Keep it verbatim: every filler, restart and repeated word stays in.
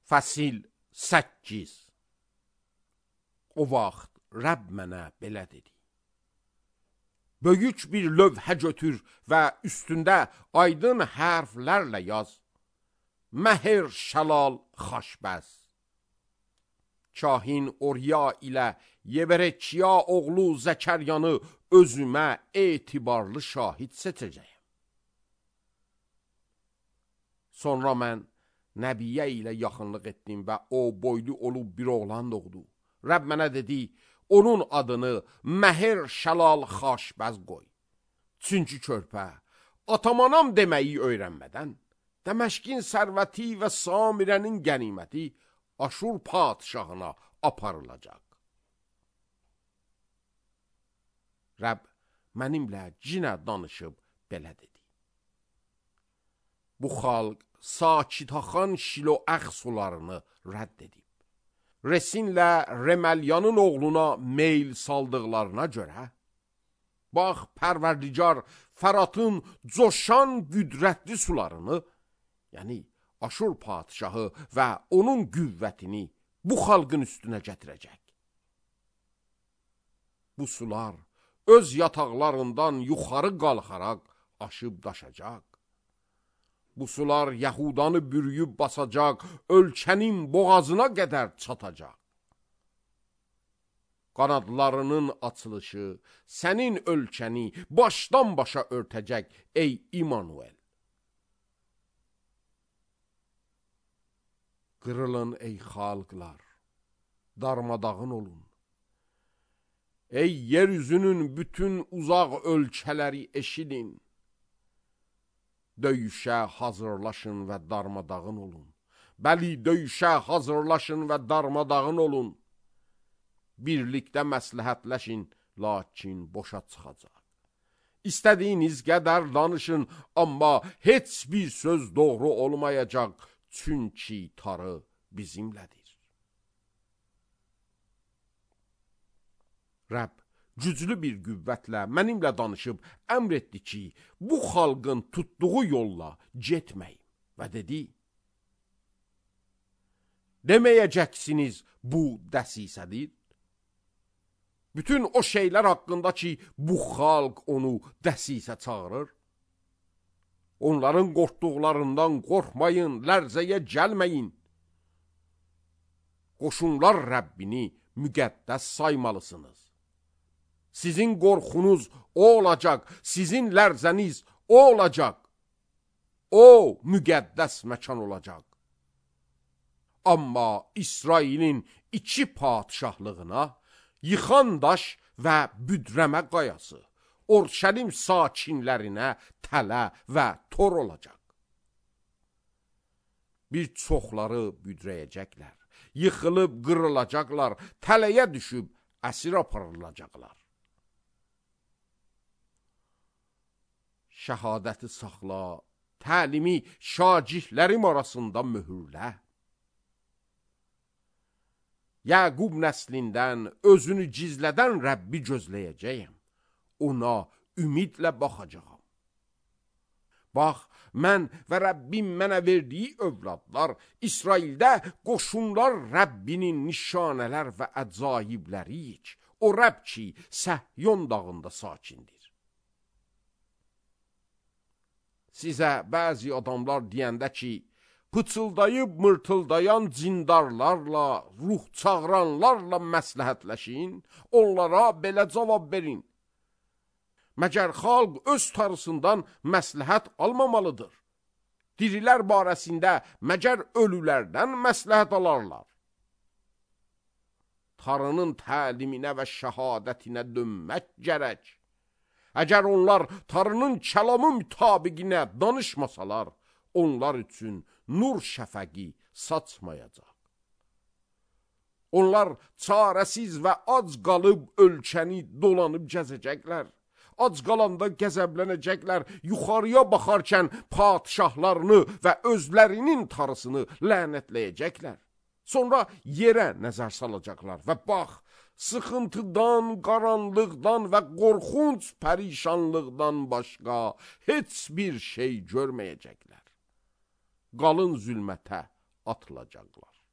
Fəsil səkkiz. O vaxt Rəbb mənə belə dedi: böyük bir lövhə götür və üstündə aydın hərflərlə yaz: Məhər Şəlal Xaşbəz. Kahin Orya ilə Yeberekiya oğlu Zəkəryanı özümə etibarlı şahid seçəcəyəm. Sonra mən Nəbiyyə ilə yaxınlıq etdim və o boylu olub bir oğlan doğdu. Rəbb mənə dedi: onun adını Məhər Şəlal Xaşbəz qoy. Çünki körpə atamanam deməyi öyrənmədən Dəməşqin sərvəti və Samirənin qəniməti Aşur padşahına aparılacaq. Rəbb mənimlə cinə danışıb belə dedi: bu xalq Sakitaxan Şiloəx sularını rədd edib. Resinlə Reməlyanın oğluna meyl saldıqlarına görə, bax, Pərverdigar Fəratın coşan qüdrətli sularını, yəni Aşur padşahı və onun qüvvətini bu xalqın üstünə gətirəcək. Bu sular öz yataqlarından yuxarı qalxaraq aşıb daşacaq. Bu sular Yahudanı bürüyüb basacaq, ölkənin boğazına qədər çatacaq. Qanadlarının açılışı sənin ölkəni başdan başa örtəcək, ey İmanuel. Qırılın ey xalqlar, darmadağın olun. Ey yeryüzünün bütün uzaq ölkələri eşidin. Döyüşə hazırlaşın və darmadağın olun. Bəli, döyüşə hazırlaşın və darmadağın olun. Birlikdə məsləhətləşin, lakin boşa çıxacaq. İstədiyiniz qədər danışın, amma heç bir söz doğru olmayacaq, çünki tarı bizimlədir. Rəbb güclü bir qüvvətlə mənimlə danışıb əmr etdi ki, bu xalqın tutduğu yolla getməyin və dedi: deməyəcəksiniz bu dəsisədir. Bütün o şeylər haqqında ki, bu xalq onu dəsisə çağırır. Onların qorxduqlarından qorxmayın, lərzəyə gəlməyin. Qoşunlar Rəbbini müqəddəs saymalısınız. Sizin qorxunuz o olacaq, sizin lərzəniz o olacaq. O müqəddəs məkan olacaq. Amma İsrailin iki padşahlığına yıxan daş və büdrəmə qayası Orşəlim sakinlərinə tələ və tor olacaq. Bir çoxları büdrəyəcəklər, yıxılıb qırılacaqlar, tələyə düşüb əsir aparılacaqlar. Şəhadəti saxla, təlimi şagirlərim arasında mühürlə. Yəqub nəslindən özünü gizlədən Rəbbi gözləyəcəyəm. Ona ümidlə baxacağam. Bax, mən və Rəbbim mənə verdiyi övladlar İsraildə qoşunlar Rəbbinin nişanələr və əcaibləriyik. O Rəbb ki, Səhyon dağında sakindir. Sizə bəzi adamlar deyəndə ki, pıçıldayıb mırtıldayan cindarlarla, ruh çağıranlarla məsləhətləşin, onlara belə cavab verin: məgər xalq öz tarısından məsləhət almamalıdır? Dirilər barəsində məgər ölülərdən məsləhət alarlar? Tarının təliminə və şəhadətinə dönmək gərək. Əgər onlar tarının kəlamı mütabiqinə danışmasalar, onlar üçün nur şəfəqi saçmayacaq. Onlar çarəsiz və ac qalıb ölkəni dolanıb gəzəcəklər. Ac qalanda qəzəblənəcəklər, yuxarıya baxarkən padşahlarını və özlərinin tarısını lənətləyəcəklər. Sonra yerə nəzər salacaqlar və bax, sıxıntıdan, qaranlıqdan və qorxunc pərişanlıqdan başqa heç bir şey görməyəcəklər. Qalın zülmətə atılacaqlar.